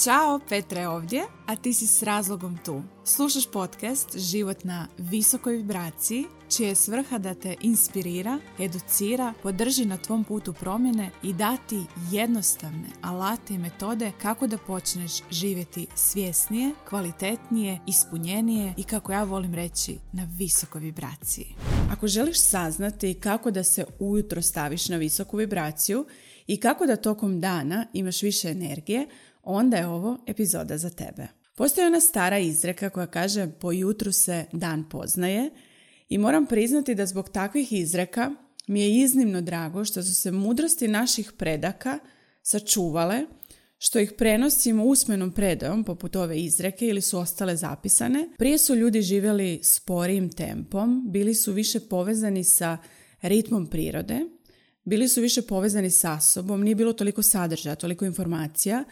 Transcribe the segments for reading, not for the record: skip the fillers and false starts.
Ćao, Petra je ovdje, a ti si s razlogom tu. Slušaš podcast Život na visokoj vibraciji, čija je svrha da te inspirira, educira, podrži na tvom putu promjene i dati jednostavne alate i metode kako da počneš živjeti svjesnije, kvalitetnije, ispunjenije i, kako ja volim reći, na visokoj vibraciji. Ako želiš saznati kako da se ujutro staviš na visoku vibraciju i kako da tokom dana imaš više energije, onda je ovo epizoda za tebe. Postoji ona stara izreka koja kaže po jutru se dan poznaje i moram priznati da zbog takvih izreka mi je iznimno drago što su se mudrosti naših predaka sačuvale, što ih prenosimo usmenom predajom poput ove izreke ili su ostale zapisane. Prije su ljudi živjeli sporijim tempom, bili su više povezani sa ritmom prirode, bili su više povezani sa sobom, nije bilo toliko sadržaja, toliko informacija,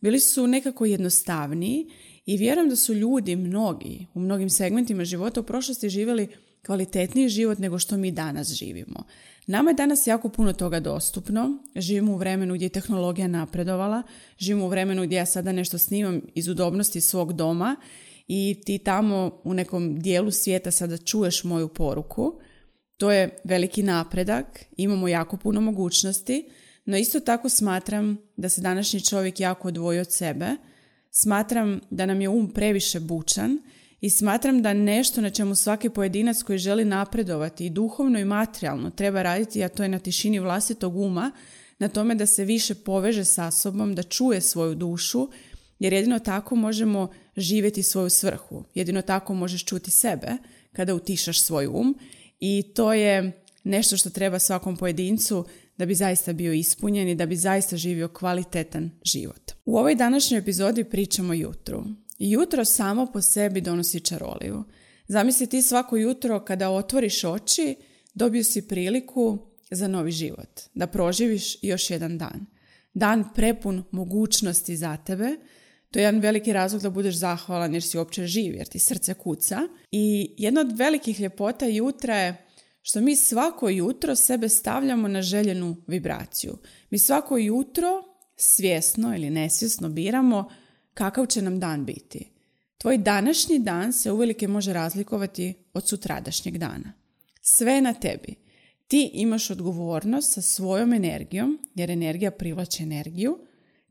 bili su nekako jednostavniji i vjerujem da su ljudi mnogi u mnogim segmentima života u prošlosti živjeli kvalitetniji život nego što mi danas živimo. Nama je danas jako puno toga dostupno, živimo u vremenu gdje je tehnologija napredovala, živimo u vremenu gdje ja sada nešto snimam iz udobnosti svog doma i ti tamo u nekom dijelu svijeta sada čuješ moju poruku. To je veliki napredak, imamo jako puno mogućnosti, no isto tako smatram da se današnji čovjek jako odvoji od sebe, smatram da nam je previše bučan i smatram da nešto na čemu svaki pojedinac koji želi napredovati i duhovno i materijalno treba raditi, a to je na tišini vlastitog uma, na tome da se više poveže sa sobom, da čuje svoju dušu, jer jedino tako možemo živjeti svoju svrhu. Jedino tako možeš čuti sebe kada utišaš svoj i to je nešto što treba svakom pojedincu da bi zaista bio ispunjen i da bi zaista živio kvalitetan život. U ovoj današnjoj epizodi pričamo o jutru. Jutro samo po sebi donosi čaroliju. Zamisli ti svako jutro kada otvoriš oči, dobio si priliku za novi život, da proživiš još jedan dan. Dan prepun mogućnosti za tebe. To je jedan veliki razlog da budeš zahvalan jer si uopće živ, jer ti srce kuca. I jedna od velikih ljepota jutra je što mi svako jutro sebe stavljamo na željenu vibraciju. Mi svako jutro svjesno ili nesvjesno biramo kakav će nam dan biti. Tvoj današnji dan se uvelike može razlikovati od sutradašnjeg dana. Sve je na tebi. Ti imaš odgovornost sa svojom energijom, jer energija privlači energiju,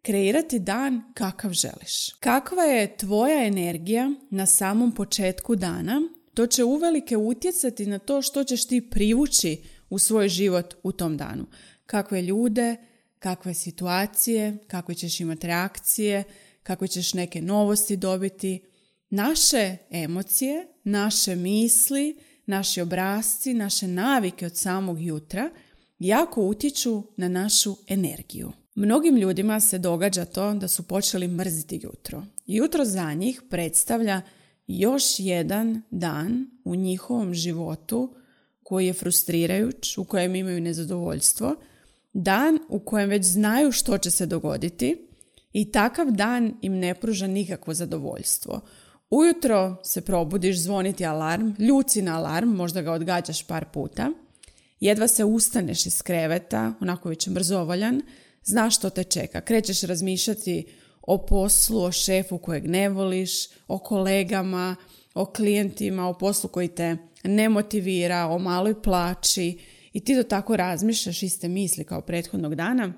kreirati dan kakav želiš. Kakva je tvoja energija na samom početku dana, to će uvelike utjecati na to što ćeš ti privući u svoj život u tom danu. Kakve ljude, kakve situacije, kakve ćeš imati reakcije, kakve ćeš neke novosti dobiti. Naše emocije, naše misli, naši obrasci, naše navike od samog jutra jako utječu na našu energiju. Mnogim ljudima se događa to da su počeli mrziti jutro. Jutro za njih predstavlja još jedan dan u njihovom životu koji je frustrirajuć, u kojem imaju nezadovoljstvo, dan u kojem već znaju što će se dogoditi i takav dan im ne pruža nikakvo zadovoljstvo. Ujutro se probudiš, zvoniti alarm, ljuci na alarm, možda ga odgađaš par puta, jedva se ustaneš iz kreveta, onako već mrzovoljan, znaš što te čeka, krećeš razmišljati o poslu, o šefu kojeg ne voliš, o kolegama, o klijentima, o poslu koji te ne motivira, o maloj plaći i ti to tako razmišljaš, iste misli kao prethodnog dana,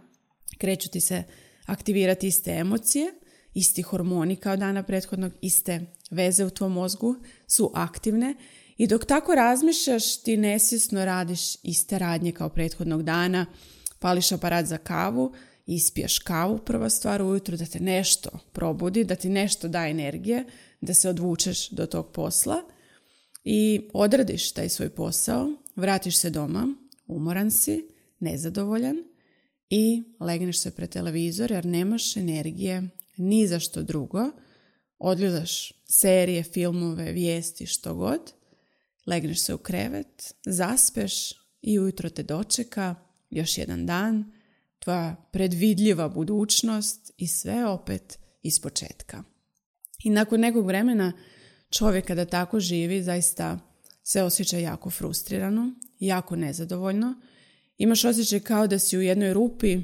kreću ti se aktivirati iste emocije, isti hormoni kao dana prethodnog, iste veze u tvom mozgu su aktivne i dok tako razmišljaš ti nesvjesno radiš iste radnje kao prethodnog dana, pališ aparat za kavu, ispiješ kavu prva stvar ujutro da te nešto probudi, da ti nešto da energije, da se odvučeš do tog posla i odradiš taj svoj posao, vratiš se doma, umoran si, nezadovoljan i legneš se pred televizor jer nemaš energije ni za što drugo, odgledaš serije, filmove, vijesti, što god, legneš se u krevet, zaspeš i ujutro te dočeka još jedan dan, tvoja predvidljiva budućnost i sve opet ispočetka. I nakon nekog vremena čovjek kada tako živi zaista se osjeća jako frustrirano, jako nezadovoljno. Imaš osjećaj kao da si u jednoj rupi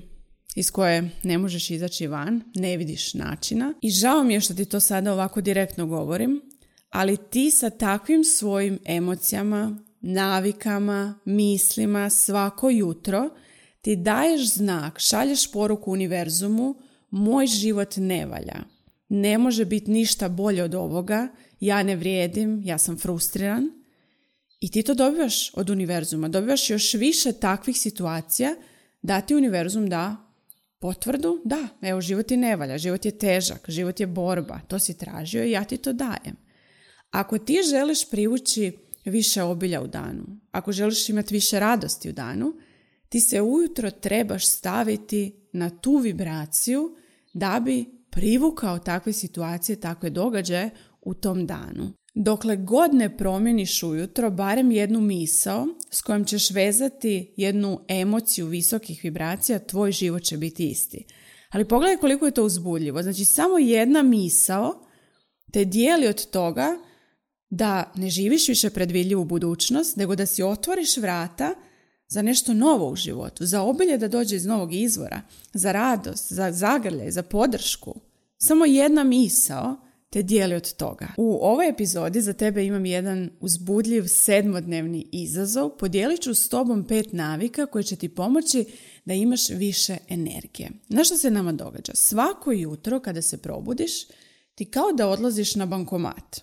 iz koje ne možeš izaći van, ne vidiš načina. I žao mi je što ti to sada ovako direktno govorim, ali ti sa takvim svojim emocijama, navikama, mislima svako jutro ti daješ znak, šalješ poruku univerzumu, moj život ne valja. Ne može biti ništa bolje od ovoga, ja ne vrijedim, ja sam frustriran. I ti to dobivaš od univerzuma, dobivaš još više takvih situacija da ti univerzum da potvrdu, da, evo život ti ne valja, život je težak, život je borba, to si tražio i ja ti to dajem. Ako ti želiš privući više obilja u danu, ako želiš imati više radosti u danu, ti se ujutro trebaš staviti na tu vibraciju da bi privukao takve situacije, takve događaje u tom danu. Dokle god ne promjeniš ujutro barem jednu misao s kojom ćeš vezati jednu emociju visokih vibracija, tvoj život će biti isti. Ali pogledaj koliko je to uzbudljivo. Znači samo jedna misao te dijeli od toga da ne živiš više predvidljivu budućnost, nego da si otvoriš vrata za nešto novo u životu, za obilje da dođe iz novog izvora, za radost, za zagrljaj, za podršku. Samo jedna misao te dijeli od toga. U ovoj epizodi za tebe imam jedan uzbudljiv 7-dnevni izazov. Podijelit ću s tobom 5 navika koje će ti pomoći da imaš više energije. Znaš što se nama događa? Svako jutro kada se probudiš, ti kao da odlaziš na bankomat.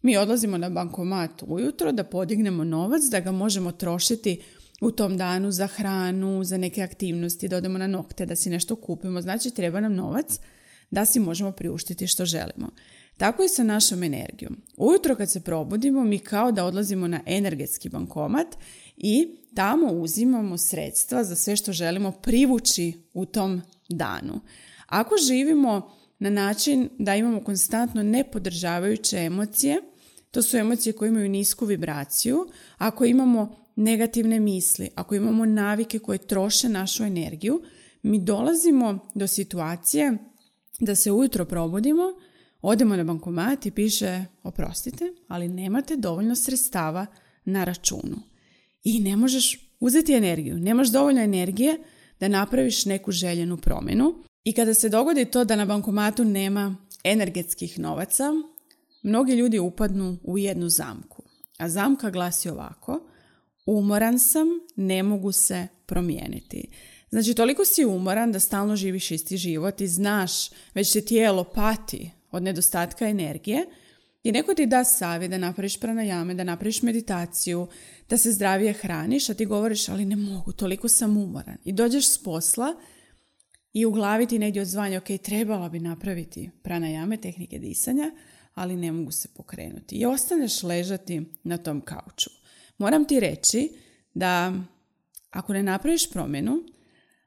Mi odlazimo na bankomat ujutro da podignemo novac, da ga možemo trošiti u tom danu za hranu, za neke aktivnosti, da odemo na nokte, da si nešto kupimo. Znači treba nam novac da si možemo priuštiti što želimo. Tako i sa našom energijom. Ujutro kad se probudimo, mi kao da odlazimo na energetski bankomat i tamo uzimamo sredstva za sve što želimo privući u tom danu. Ako živimo na način da imamo konstantno nepodržavajuće emocije, to su emocije koje imaju nisku vibraciju, ako imamo negativne misli, ako imamo navike koje troše našu energiju, mi dolazimo do situacije da se ujutro probudimo, odemo na bankomat i piše oprostite, ali nemate dovoljno sredstava na računu. I ne možeš uzeti energiju, nemaš dovoljno energije da napraviš neku željenu promjenu. I kada se dogodi to da na bankomatu nema energetskih novaca, mnogi ljudi upadnu u jednu zamku. A zamka glasi ovako: umoran sam, ne mogu se promijeniti. Znači, toliko si umoran da stalno živiš isti život i znaš, već te tijelo pati od nedostatka energije i neko ti da savjet da napraviš pranajame, da napraviš meditaciju, da se zdravije hraniš, a ti govoriš ali ne mogu, toliko sam umoran. I dođeš s posla i u glavi ti negdje odzvanja, ok, trebala bi napraviti pranajame, tehnike disanja, ali ne mogu se pokrenuti. I ostaneš ležati na tom kauču. Moram ti reći da ako ne napraviš promjenu,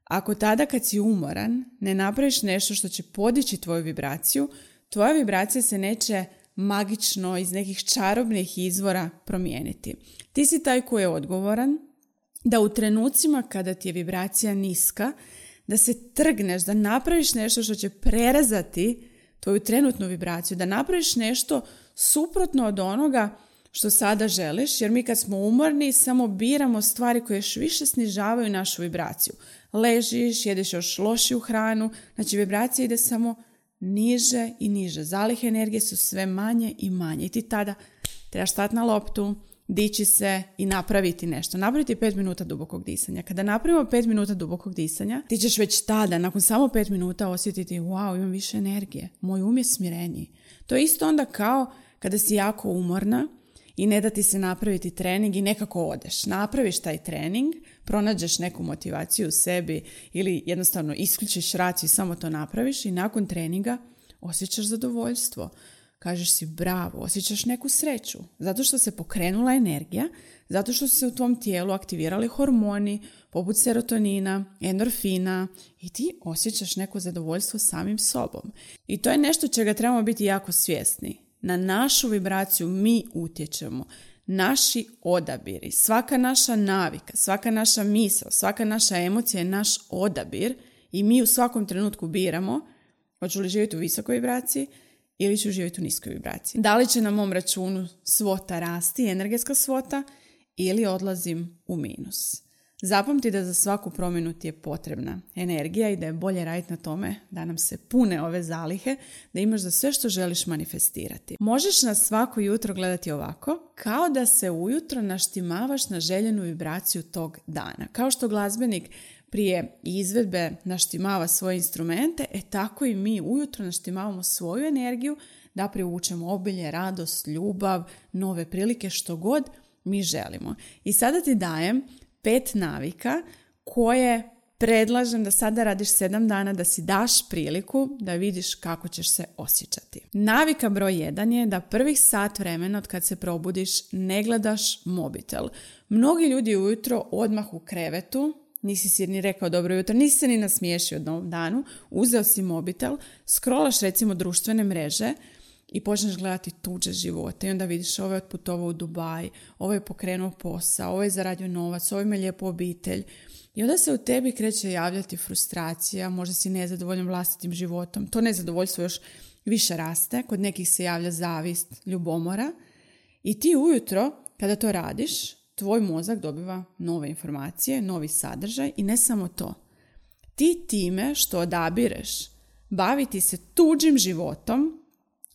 ako tada kad si umoran ne napraviš nešto što će podići tvoju vibraciju, tvoja vibracija se neće magično iz nekih čarobnih izvora promijeniti. Ti si taj koji je odgovoran da u trenucima kada ti je vibracija niska, da se trgneš, da napraviš nešto što će prerezati tvoju trenutnu vibraciju, da napraviš nešto suprotno od onoga što sada želiš, jer mi kad smo umorni samo biramo stvari koje još više snižavaju našu vibraciju. Ležiš, jedeš još lošiju hranu, znači vibracija ide samo niže i niže. Zalihe energije su sve manje i manje. I ti tada trebaš stati na loptu, dići se i napraviti nešto. Napraviti 5 minuta dubokog disanja. Kada napravimo 5 minuta dubokog disanja, ti ćeš već tada, nakon samo 5 minuta osjetiti, wow, imam više energije. Moj um je smireniji. To je isto onda kao kada si jako umorna i ne da ti se napraviti trening i nekako odeš. Napraviš taj trening, pronađeš neku motivaciju u sebi ili jednostavno isključiš raciju i samo to napraviš i nakon treninga osjećaš zadovoljstvo. Kažeš si bravo, osjećaš neku sreću. Zato što se pokrenula energija, zato što su se u tvom tijelu aktivirali hormoni poput serotonina, endorfina i ti osjećaš neko zadovoljstvo samim sobom. I to je nešto čega trebamo biti jako svjesni. Na našu vibraciju mi utječemo. Naši odabiri, svaka naša navika, svaka naša misao, svaka naša emocija je naš odabir i mi u svakom trenutku biramo hoću li živjeti u visokoj vibraciji ili ću živjeti u niskoj vibraciji. Da li će na mom računu svota rasti, energetska svota, ili odlazim u minus. Zapamti da za svaku promjenu ti je potrebna energija i da je bolje raditi na tome da nam se pune ove zalihe, da imaš za sve što želiš manifestirati. Možeš nas svako jutro gledati ovako, kao da se ujutro naštimavaš na željenu vibraciju tog dana. Kao što glazbenik prije izvedbe naštimava svoje instrumente, tako i mi ujutro naštimavamo svoju energiju da privučemo obilje, radost, ljubav, nove prilike, što god mi želimo. I sada ti dajem 5 navika koje predlažem da sada radiš 7 dana, da si daš priliku da vidiš kako ćeš se osjećati. Navika broj 1 je da prvih sat vremena od kad se probudiš ne gledaš mobitel. Mnogi ljudi ujutro odmah u krevetu, nisi si ni rekao dobro jutro, nisi se ni nasmiješio novom danu, uzeo si mobitel, scrollaš recimo društvene mreže i počneš gledati tuđe živote i onda vidiš ovo je otputovao u Dubaj, ovo je pokrenuo posao, ovo je zaradio novac, ovo ima lijepu obitelj. I onda se u tebi kreće javljati frustracija, možda si nezadovoljan vlastitim životom. To nezadovoljstvo još više raste, kod nekih se javlja zavist, ljubomora. I ti ujutro, kada to radiš, tvoj mozak dobiva nove informacije, novi sadržaj i ne samo to. Ti time što odabireš baviti se tuđim životom,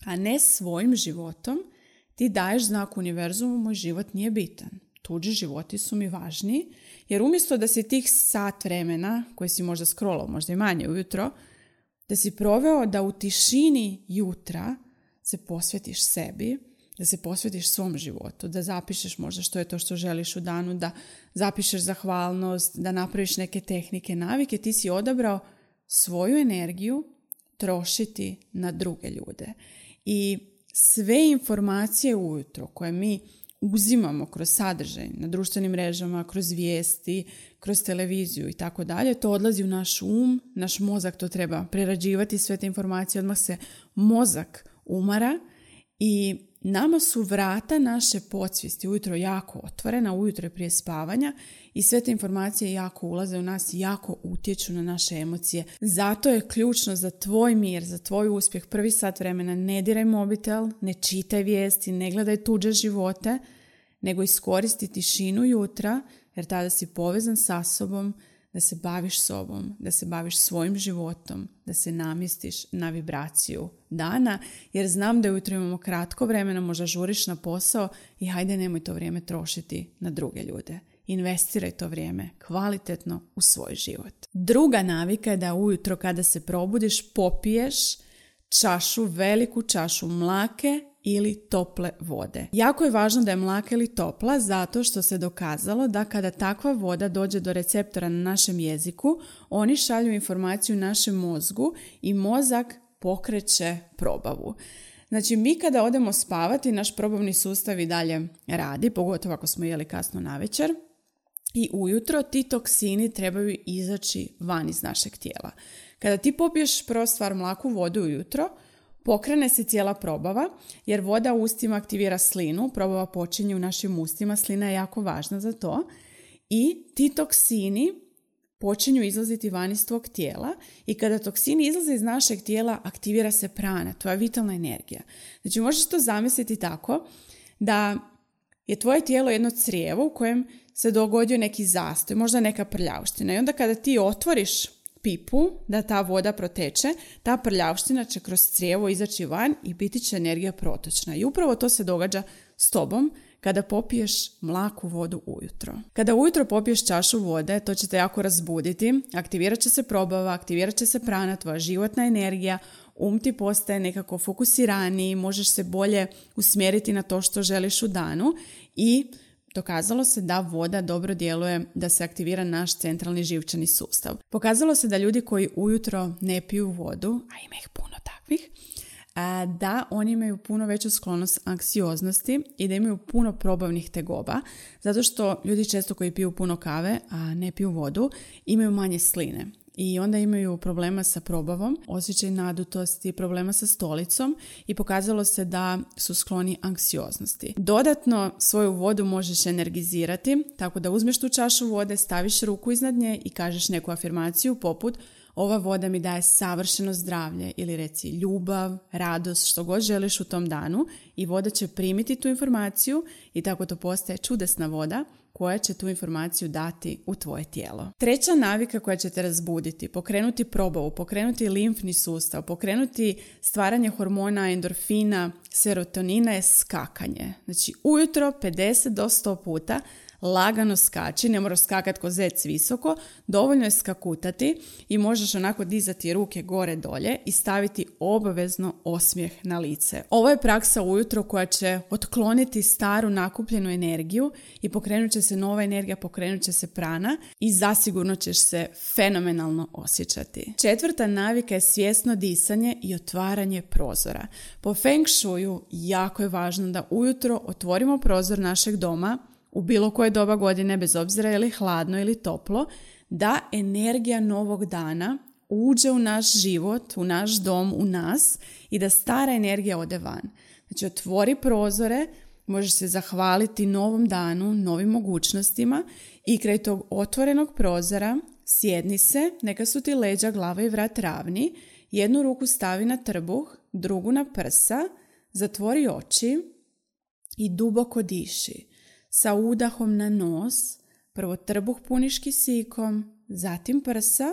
a ne svojim životom, ti daješ znak univerzumu, moj život nije bitan. Tuđi životi su mi važniji, jer umjesto da si tih sat vremena, koje si možda scrollao, možda i manje ujutro, da si proveo da u tišini jutra se posvetiš sebi, da se posvetiš svom životu, da zapišeš možda što je to što želiš u danu, da zapišeš zahvalnost, da napraviš neke tehnike, navike, ti si odabrao svoju energiju trošiti na druge ljude. I sve informacije ujutro koje mi uzimamo kroz sadržaj na društvenim mrežama, kroz vijesti, kroz televiziju i tako dalje, to odlazi u naš naš mozak to treba prerađivati sve te informacije, odmah se mozak umara i nama su vrata naše podsvijesti ujutro jako otvorena, ujutro je prije spavanja i sve te informacije jako ulaze u nas i jako utječu na naše emocije. Zato je ključno za tvoj mir, za tvoj uspjeh prvi sat vremena ne diraj mobitel, ne čitaj vijesti, ne gledaj tuđe živote, nego iskoristi tišinu jutra jer tada si povezan sa sobom, da se baviš sobom, da se baviš svojim životom, da se namjestiš na vibraciju dana, jer znam da ujutro imamo kratko vremena, možda žuriš na posao i hajde nemoj to vrijeme trošiti na druge ljude. Investiraj to vrijeme kvalitetno u svoj život. Druga navika je da ujutro kada se probudiš popiješ veliku čašu mlake ili tople vode. Jako je važno da je mlaka ili topla zato što se dokazalo da kada takva voda dođe do receptora na našem jeziku, oni šalju informaciju našem mozgu i mozak pokreće probavu. Znači mi kada odemo spavati, naš probavni sustav i dalje radi, pogotovo ako smo jeli kasno navečer, i ujutro ti toksini trebaju izaći van iz našeg tijela. Kada ti popiješ prva stvar mlaku vodu ujutro, pokrene se cijela probava jer voda u ustima aktivira slinu, probava počinje u našim ustima, slina je jako važna za to i ti toksini počinju izlaziti van iz tvog tijela i kada toksini izlaze iz našeg tijela aktivira se prana, tvoja vitalna energija. Znači možeš to zamisliti tako da je tvoje tijelo jedno crijevo u kojem se dogodio neki zastoj, možda neka prljavština i onda kada ti otvoriš pipu da ta voda proteče, ta prljavština će kroz crijevo izaći van i biti će energija protočna. I upravo to se događa s tobom kada popiješ mlaku vodu ujutro. Kada ujutro popiješ čašu vode, to će te jako razbuditi, aktivirat će se probava, aktivirat će se prana, tvoja životna energija, ti postaje nekako fokusiraniji, možeš se bolje usmjeriti na to što želiš u danu i dokazalo se da voda dobro djeluje da se aktivira naš centralni živčani sustav. Pokazalo se da ljudi koji ujutro ne piju vodu, a ima ih puno takvih, da oni imaju puno veću sklonost anksioznosti i da imaju puno probavnih tegoba, zato što ljudi često koji piju puno kave, a ne piju vodu, imaju manje sline. I onda imaju problema sa probavom, osjećaj nadutosti, problema sa stolicom i pokazalo se da su skloni anksioznosti. Dodatno svoju vodu možeš energizirati, tako da uzmeš tu čašu vode, staviš ruku iznad nje i kažeš neku afirmaciju poput ova voda mi daje savršeno zdravlje ili reci ljubav, radost, što god želiš u tom danu i voda će primiti tu informaciju i tako to postaje čudesna voda koja će tu informaciju dati u tvoje tijelo. Treća navika koja će te razbuditi, pokrenuti probavu, pokrenuti limfni sustav, pokrenuti stvaranje hormona, endorfina, serotonina je skakanje. Znači ujutro 50 do 100 puta lagano skači, ne moraš skakati ko zec visoko, dovoljno je skakutati i možeš onako dizati ruke gore dolje i staviti obavezno osmijeh na lice. Ovo je praksa ujutro koja će otkloniti staru nakupljenu energiju i pokrenut će se nova energija, pokrenut će se prana i zasigurno ćeš se fenomenalno osjećati. Četvrta navika je svjesno disanje i otvaranje prozora. Po Feng Shuiu jako je važno da ujutro otvorimo prozor našeg doma u bilo koje doba godine, bez obzira je li hladno ili toplo, da energija novog dana uđe u naš život, u naš dom, u nas i da stara energija ode van. Znači otvori prozore, možeš se zahvaliti novom danu, novim mogućnostima i kraj tog otvorenog prozora sjedni se, neka su ti leđa, glava i vrat ravni, jednu ruku stavi na trbuh, drugu na prsa, zatvori oči i duboko diši. Sa udahom na nos, prvo trbuh puniš kisikom, zatim prsa,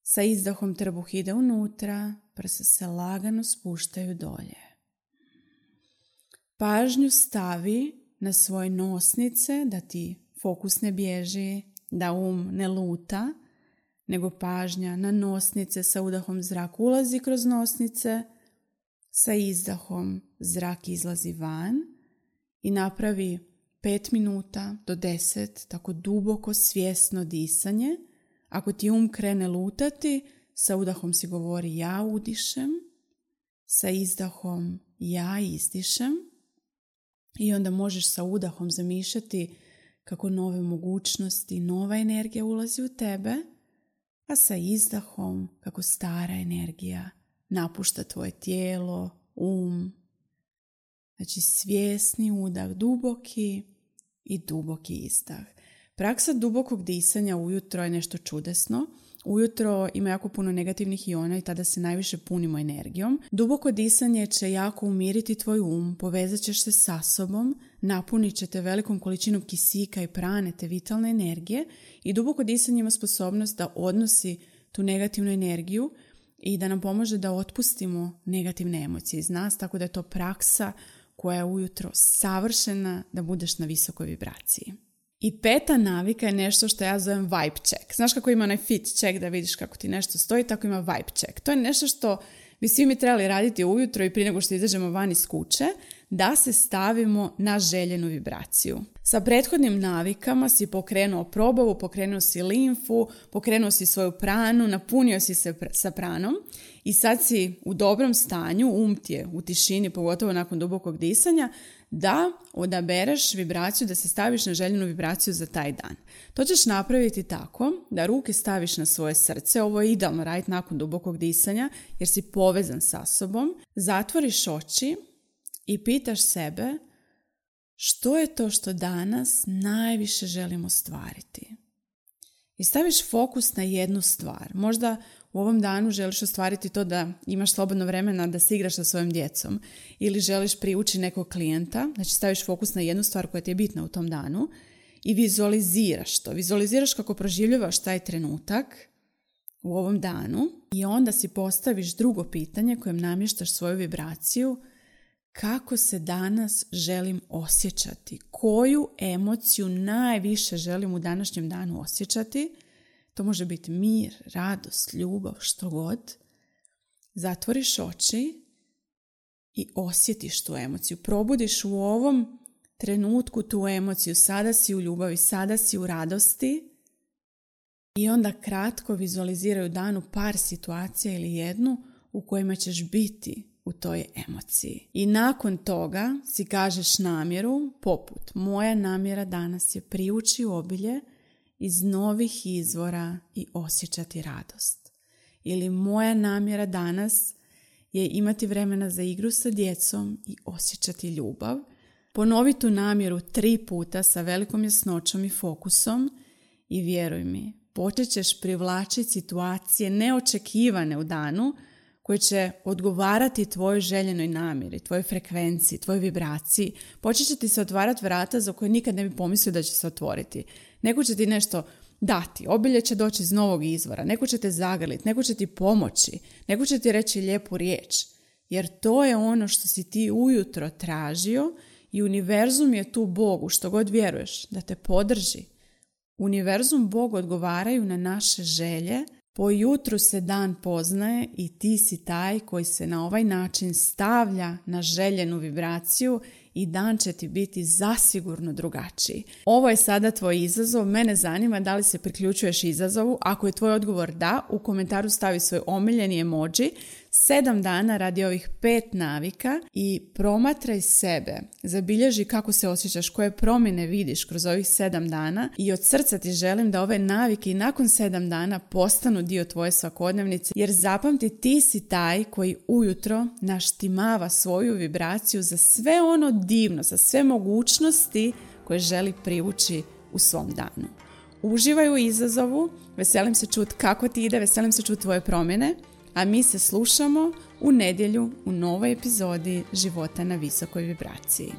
sa izdahom trbuh ide unutra, prsa se lagano spuštaju dolje. Pažnju stavi na svoje nosnice, da ti fokus ne bježi, da ne luta, nego pažnja na nosnice, sa udahom zrak ulazi kroz nosnice, sa izdahom zrak izlazi van i napravi 5 minuta do 10, tako duboko svjesno disanje. Ako ti krene lutati, sa udahom si govori ja udišem, sa izdahom ja izdišem i onda možeš sa udahom zamišljati kako nove mogućnosti, nova energija ulazi u tebe, a sa izdahom kako stara energija napušta tvoje tijelo, Znači svjesni udah, duboki i duboki izdah. Praksa dubokog disanja ujutro je nešto čudesno. Ujutro ima jako puno negativnih iona i tada se najviše punimo energijom. Duboko disanje će jako umiriti tvoj povezat ćeš se sa sobom, napunit će te velikom količinom kisika i prane te vitalne energije i duboko disanje ima sposobnost da odnosi tu negativnu energiju i da nam pomože da otpustimo negativne emocije iz nas, tako da je to praksa koja je ujutro savršena da budeš na visokoj vibraciji. I peta navika je nešto što ja zovem vibe check. Znaš kako ima onaj fit check da vidiš kako ti nešto stoji, tako ima vibe check. To je nešto što bi svi mi trebali raditi ujutro i prije nego što izađemo van iz kuće, da se stavimo na željenu vibraciju. Sa prethodnim navikama si pokrenuo probavu, pokrenuo si limfu, pokrenuo si svoju pranu, napunio si se sa pranom i sad si u dobrom stanju, ti je u tišini, pogotovo nakon dubokog disanja, da odabereš vibraciju, da se staviš na željenu vibraciju za taj dan. To ćeš napraviti tako da ruke staviš na svoje srce, ovo je idealno raditi nakon dubokog disanja jer si povezan sa sobom, zatvoriš oči i pitaš sebe što je to što danas najviše želim ostvariti. I staviš fokus na jednu stvar. Možda u ovom danu želiš ostvariti to da imaš slobodno vremena da se igraš sa svojom djecom ili želiš privući nekog klijenta, znači staviš fokus na jednu stvar koja ti je bitna u tom danu i vizualiziraš to. Vizualiziraš kako proživljavaš taj trenutak u ovom danu i onda si postaviš drugo pitanje kojem namještaš svoju vibraciju. Kako se danas želim osjećati? Koju emociju najviše želim u današnjem danu osjećati? To može biti mir, radost, ljubav, što god. Zatvoriš oči i osjetiš tu emociju. Probudiš u ovom trenutku tu emociju. Sada si u ljubavi, sada si u radosti. I onda kratko vizualiziraj u danu par situacija ili jednu u kojima ćeš biti u toj emociji. I nakon toga si kažeš namjeru poput moja namjera danas je privući obilje iz novih izvora i osjećati radost. Ili moja namjera danas je imati vremena za igru sa djecom i osjećati ljubav. Ponovi tu namjeru 3 puta sa velikom jasnoćom i fokusom i vjeruj mi, počet ćeš privlačiti situacije neočekivane u danu koji će odgovarati tvojoj željenoj namjeri, tvojoj frekvenciji, tvojoj vibraciji, počet će ti se otvarati vrata za koje nikad ne bi pomislio da će se otvoriti. Neko će ti nešto dati, obilje će doći iz novog izvora, neko će te zagrliti, neko će ti pomoći, neko će ti reći lijepu riječ. Jer to je ono što si ti ujutro tražio i univerzum je tu Bogu, što god vjeruješ, da te podrži. Univerzum, Bog odgovaraju na naše želje. Po jutru se dan poznaje i ti si taj koji se na ovaj način stavlja na željenu vibraciju i dan će ti biti zasigurno drugačiji. Ovo je sada tvoj izazov. Mene zanima da li se priključuješ izazovu. Ako je tvoj odgovor da, u komentaru stavi svoj omiljeni emoji. 7 dana radi ovih 5 navika i promatraj sebe. Zabilježi kako se osjećaš, koje promjene vidiš kroz ovih 7 dana i od srca ti želim da ove navike i nakon 7 dana postanu dio tvoje svakodnevnice, jer zapamti, ti si taj koji ujutro naštimava svoju vibraciju za sve ono divno, za sve mogućnosti koje želi privući u svom danu. Uživaj u izazovu, veselim se čuti kako ti ide, veselim se čuti tvoje promjene, a mi se slušamo u nedjelju u novoj epizodi Života na visokoj vibraciji.